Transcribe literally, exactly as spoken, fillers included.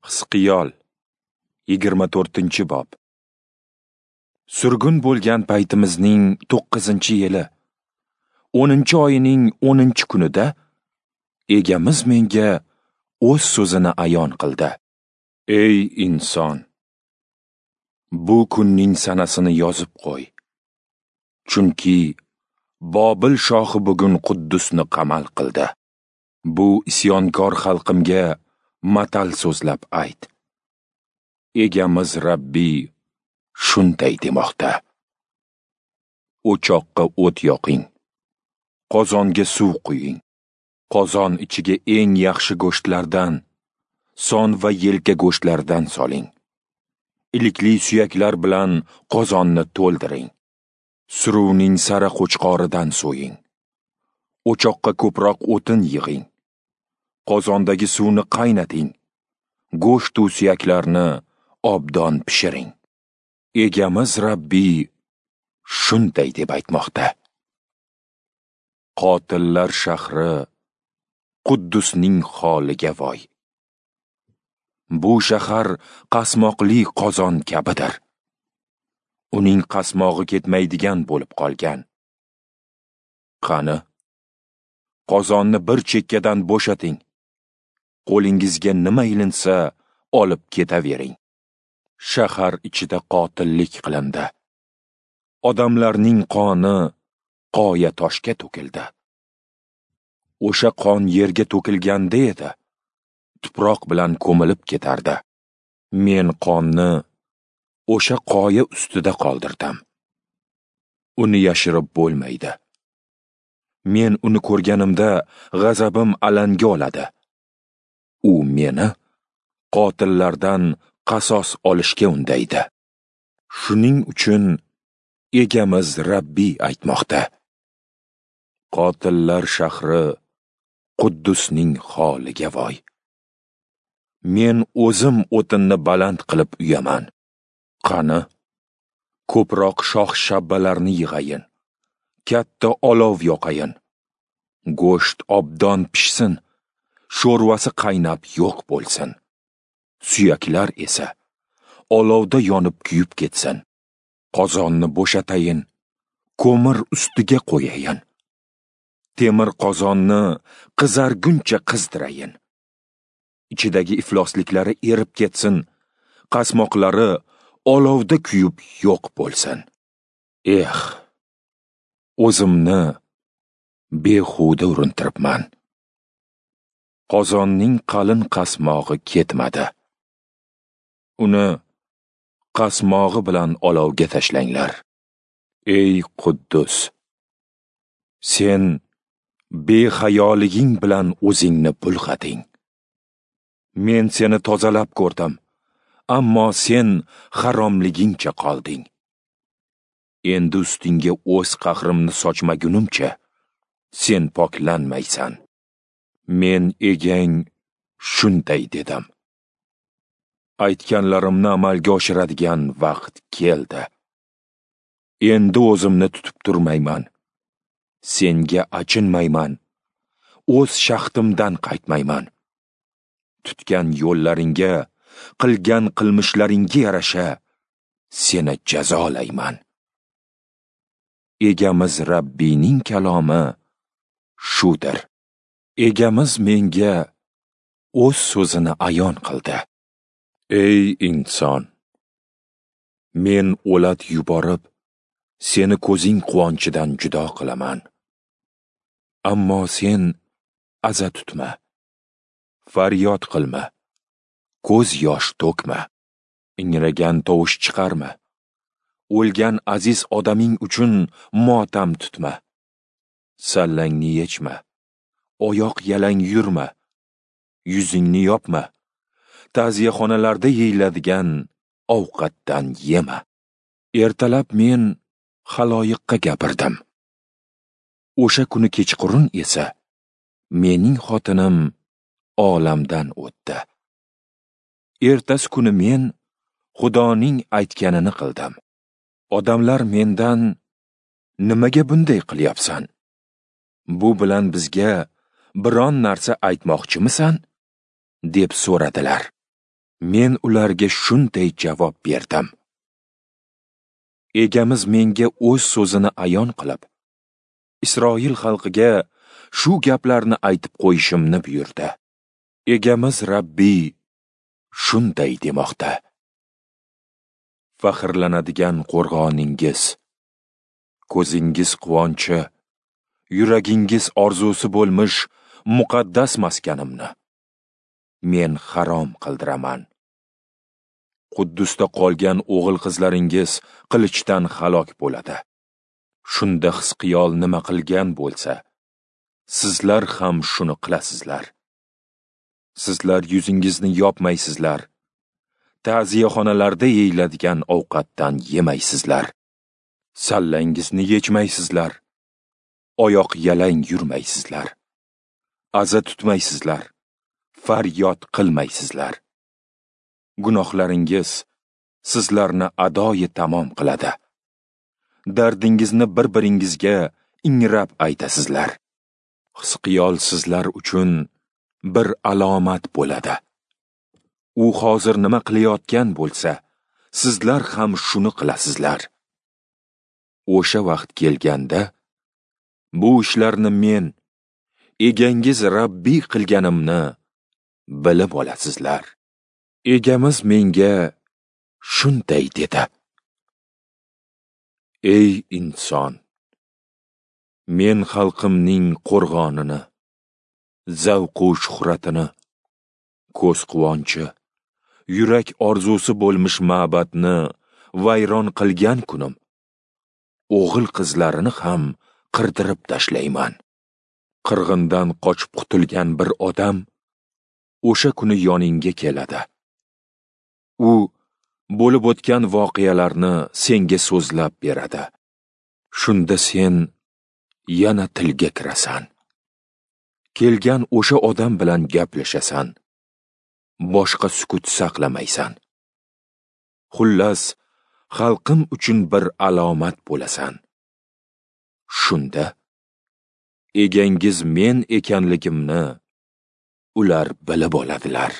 Hizqiyol yigirma to'rtinchi bob. Surgun bo'lgan paytimizning to'qqizinchi yili, o'ninchi oyining o'ninchi kunida Egamiz menga o'z so'zini ayon qildi. Ey inson, bu kunning sanasini yozib qo'y. Chunki Bobil shohi bugun Quddusni qamal qildi. Bu isyonkor xalqimga matal so'zlab ayt. Egamiz Rabbiy shunday demoqda: O'choqqa o't yoqing, qozonga suv quying. Qozon ichiga eng yaxshi go'shtlardan, son va yelka go'shtlaridan soling. Ilikli suyaklar bilan qozonni to'ldiring. Suruvning sara qo'chqoridan so'ying. O'choqqa ko'proq o'tin yig'ing. Qozondagi suvni qaynating. Go'sht u suyaklarni obdon pishiring. Egamiz Rabbiy shunday deb aytmoqda: Qotillar shahri Quddusning holiga voy. Bu shahar qasmoqli qozon kabidir. Uning qasmog'i ketmaydigan bo'lib qolgan. Qani, qozonni bir chekkadan bo'shating. Qo'lingizga nima ilinsa olib ketavering. Shahar ichida qotillik qilindi. Odamlarning qoni qoya toshga to'kildi. O'sha qon yerga to'kilganda edi, tuproq bilan ko'milib ketardi. Men qonni o'sha qoya ustida qoldirdim. Uni yashirib bo'lmaydi. Men uni ko'rganimda g'azabim alanga oladi. U meni qotillardan qasos olishga undaydi. Shuning uchun Egamiz Rabbiy aytmoqda: Qotillar shahri Quddusning holiga voy. Men o'zim o'tinni baland qilib uyaman. Qani, ko'proq shox shabbalarni yig'ayin. Katta olov yoqayin. Go'sht obdon pishsin, sho'rvasi qaynab yo'q bo'lsin. Suyaklar esa olovda yonib kuyib ketsin. Qozonni bo'shatayin, ko'mir ustiga qo'yayin. Temir qozonni qizarguncha qizdirayin. Ichidagi iflosliklari erib ketsin, qasmoqlari olovda kuyib yo'q bo'lsin. Eh, o'zimni behuda urintiribman. Qozonning qalin qasmog'i ketmadi. Uni qasmog'i bilan olovga tashlanglar. Ey Quddus, sen behayoliging bilan o'zingni bulg'ading. Men seni tozalab ko'rdim, ammo sen haromligingcha qolding. Endi ustingga o'z qahrimni sochmagunimcha sen poklanmaysan. Men egang shunday dedim. Aytganlarimni amalga oshiradigan vaqt keldi. Endi o'zimni tutib turmayman. Senga achinmayman. O'z shaxtimdan qaytmayman. Tutgan yo'llaringga, qilgan qilmishlaringga yarasha seni jazolayman. Egamiz Rabbiyning kalomi shudir. Egamiz menga o'z so'zini ayon qildi. Ey inson, men o'lat yuborib, seni ko'zing quvonchidan judo qilaman. Ammo sen aza tutma, faryod qilma, ko'z yosh to'kma, ingragan tovush chiqarma, o'lgan aziz odaming uchun motam tutma, sallangni yechma, oyoq yalang yurma, yuzingni yopma, ta'ziyaxonalarda yeyiladigan ovqatdan yema. Ertalab men xaloyiqqa gapirdim. O'sha kuni kechqurun esa mening xotinim olamdan o'tdi. Ertasi kuni men Xudoning aytganini qildim. Odamlar mendan nimaga bunday qilyapsan? Bu bilan bizga biron narsa aytmoqchimisan? Deb so'radilar. Men ularga shunday javob berdim: Egamiz menga o'z so'zini ayon qilib, Isroil xalqiga shu gaplarni aytib qo'yishimni buyurdi. Egamiz Rabbiy shunday demoqda: Faxrlanadigan qo'rg'oningiz, ko'zingiz quvonchi, yuragingiz orzusi bo'lmish muqaddas maskanimni men harom qildiraman. Quddusda qolgan o'g'il qizlaringiz qilichdan halok bo'ladi. Shunda Hizqiyol nima qilgan bo'lsa, sizlar ham shuni qilasizlar. Sizlar yuzingizni yopmaysizlar, ta'ziyaxonalarda yeyiladigan ovqatdan yemaysizlar, sallangizni yechmaysizlar, oyoq yalang yurmaysizlar, aza tutmaysizlar, faryod qilmaysizlar. Gunohlaringiz sizlarni adoyi tamom qiladi. Dardingizni bir-biringizga ingrab aytasizlar. Hizqiyol sizlar uchun bir alomat bo'ladi. U hozir nima qilayotgan bo'lsa, sizlar ham shuni qilasizlar. O'sha vaqt kelganda, bu ishlarni men, egangiz Rabbiy qilganimni bilib olasizlar. Egamiz menga shunday dedi: Ey inson, men xalqimning qo'rg'onini, zavqu shuhratini, ko'z quvonchi, yurak orzusi bo'lmish ma'badni vayron qilgan kunim, o'g'il qizlarini ham qirdirib tashlayman. Qirg'indan qochib qutulgan bir odam o'sha kuni yoningga keladi. U bo'lib o'tgan voqealarni senga so'zlab beradi. Shunda sen yana tilga kirasan. Kelgan o'sha odam bilan gaplashasan. Boshqa sukut saqlamaysan. Xullas, xalqim uchun bir alomat bo'lasan. Shunda egangiz men ekanligimni ular bilib oladilar.